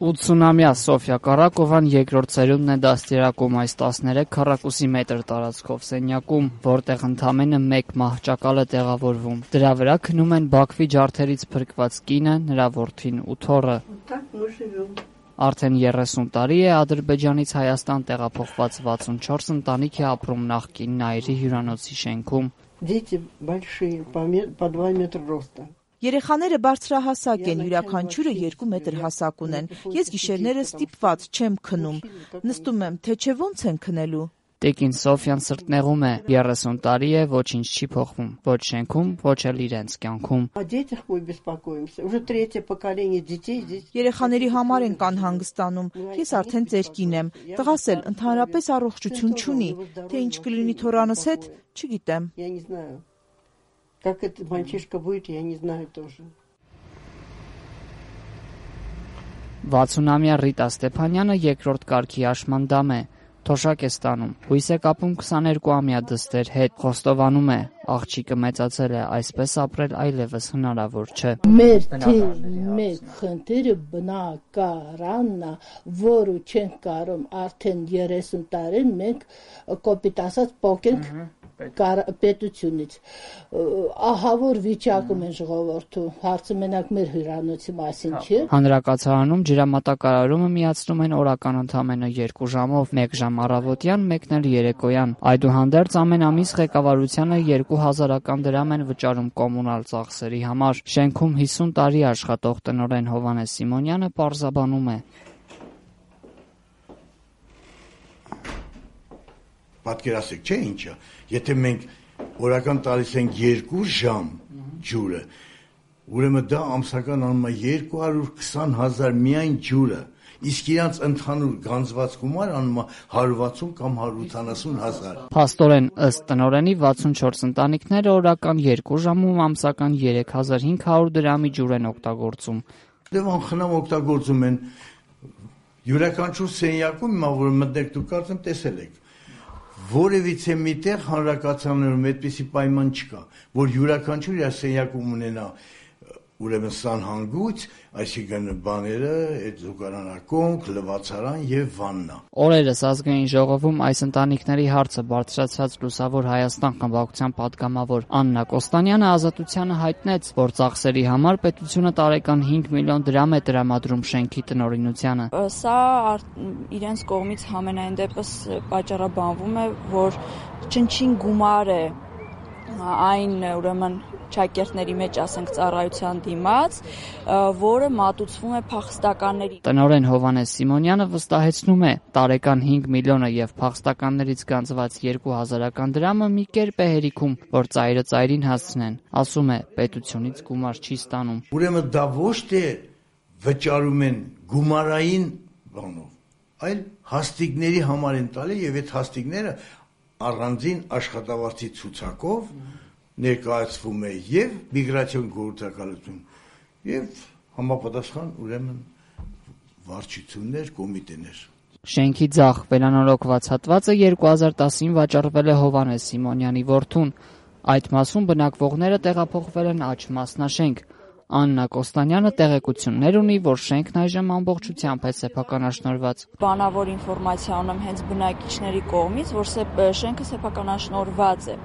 80-ամյա Սոֆյա Կարակովան երկրորդ սերունդն է դաստիարակում այս 13 քառակուսի մետր տարածքով սենյակում, որտեղ ընդամենը մեկ մահճակալ է տեղավորվում։ Դրա վրա քնում են Բաքվի ջարդերից փրկված կինը, նրա որդին ու թոռը։ Արդեն 30 տարի է Ադրբեջանից Հայաստան տեղափոխված 64 ընտանիք է ապրում նախկին Նաիրի հյուրանոցի շենքում։ Երեխաները բարձրահասակ են, յուրաքանչյուրը 2 մետր հասակ ունեն։ Ես գիշերները ստիպված չեմ քնում։ Նստում եմ, թե չէ ոնց են քնելու։ Տիկին Սոֆյան սրտնեղում է, 30 տարի է, ոչինչ չի փոխվում, ոչ շենքում, ոչ էլ իրենց կյանքում։ Երեխաների համար ենք անհանգստանում, ես արդեն ծերկին եմ, տղաս էլ ընդհանրապես առողջություն չունի, թե ինչ կլինի թորանս հետ, չգիտեմ։ 60-ամյա Ռիտա Ստեփանյանը երկրորդ կարգի աշմանդամ է, թոշակ է ստանում, հույս է կապում 22-ամյա դստեր հետ, խոստովանում է, աղջիկը մեծացել է, այսպես ապրել այլևս հնարավոր չէ։ Մեր մեկ խնդիրը բնակարանն է, որը չենք կարող արդեն 30 տարին մենք կոպիտ ասած փոխենք պետությունից, ահա որ վիճակում են ժողովուրդը, հարցը մենակ մեր հյուրանոցի մասին չէ։ Հանրակացարանում ջրամատակարարումը միացնում են օրական ընդամենը 2 ժամով, 1 ժամ առավոտյան, 1-ն էլ երեկոյան։ Այդուհանդերձ ամեն ամիս ղեկավարությանը 2000 դրամ են վճարում կոմունալ ծախսերի համար։ Շենքում 50 տարի աշխատող տնօրեն Հովհաննես Սիմոնյանը պարզաբանում է. Պատկերացեք, չէ՞ ինչա, եթե մենք օրական տալիս ենք 2 ժամ ջուրը, ուրեմն դա ամսական անում է 220,000 միայն ջուրը, իսկ իրանց ընդհանուր գանձված գումար անում է 160 կամ 180,000։ Փաստորեն, ըստ տնօրենի 64 ընտանիքները օրական 2 ժամում ամսական 3500 դրամի ջուր են օգտագործում։ Դե անխնամ օգտագործում են յուրաքանչյուր սենյակում, հիմա որ մտեք դուք կարծեմ տեսել եք, որևիցե միտեղ հանրակացարաններում այդպիսի պայման չկա, որ յուրաքանչյուր իր սենյակում ունենա ուրեմն սանհանգույց, այսինքն բաները, այդ զուգարանակոնք, լվացարան եւ վաննա։ Օրերս ազգային ժողովում այս ընտանիքների հարցը բարձրացրած Լուսավոր Հայաստան խմբակցության падգամավոր Աննա Կոստանյանը Ազատությանը հայտնեց, որ ծախսերի համար պետությունը տարեկան 5 միլիոն դրամ է տրամադրում շենքի տնօրինությանը։ Սա իրենց կողմից համենայն դեպս պատճառաբանվում է, որ չնչին գումար է այն ուրեմն ճակերտների մեջ, ասենք, ծառայության դիմաց, որը մատուցվում է փախստականների։ Տնօրեն Հովհաննես Սիմոնյանը վստահեցնում է, տարեկան 5 միլիոնը եւ փախստականներից գանձված 2000 դրամը մի կերպ է հերիքում, որ ծայրը ծայրին հասցնեն։ Ասում է, պետությունից գումար չի ստանում։ Ուրեմն դա ոչ թե վճարում են գումարային բանով, այլ հաստիկների համար են տալի եւ այդ հաստիկները առանձին աշխատավարձի ցուցակով ներկայացվում է եւ միգրացիոն գործակալություն եւ համապատասխան ուրեմն վարչություններ, կոմիտեներ։ Շենքի ձախ վերանորոգված հատվածը 2010-ին վաճառվել է Հովհաննես Սիմոնյանի որդուն։ Այդ մասում բնակվողները տեղափոխվել են աջ մասնաշենք։ Աննա Կոստանյանը տեղեկություններ ունի, որ շենքն այժմ ամբողջությամբ է սեփականաշնորհված։ Բանավոր ինֆորմացիա ունեմ հենց բնակիչների կողմից, որ շենքը սեփականաշնորհված է։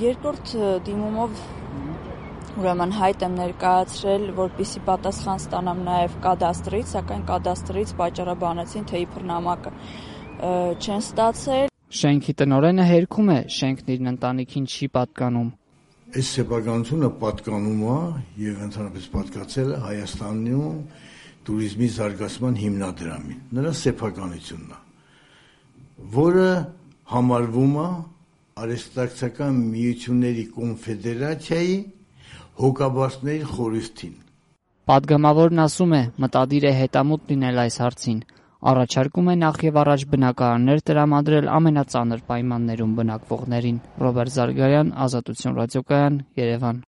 Երկրորդ դիմումով ուրեմն հայտ եմ ներկայացրել, որպեսզի պատասխան ստանամ նաև կադաստրից, սակայն կադաստրից պատճառաբանեցին, թե իբր նամակը չեն ստացել։ Շենքի տնօրենը հերքում է, շենքն իր ընտանիքին չի պատկանում։ Այս սեփականությունը պատկանում է եւ ընդհանրապես պատկացել է Հայաստանում туриզմի զարգացման հիմնադրամին։ Նրա սեփականությունն է, որը համարվում է Արհեստակցական միությունների կոնֆեդերացիայի հոգաբարձների խորհրդին։ Պատգամավորն ասում է, մտադիր է հետամուտ լինել այս հարցին։ Առաջարկում է նախ եւ առաջ բնակարաններ տրամադրել ամենածանր պայմաններում բնակվողներին։ Ռոբերտ Զարգարյան, Ազատություն ռադիոկայան, Երևան։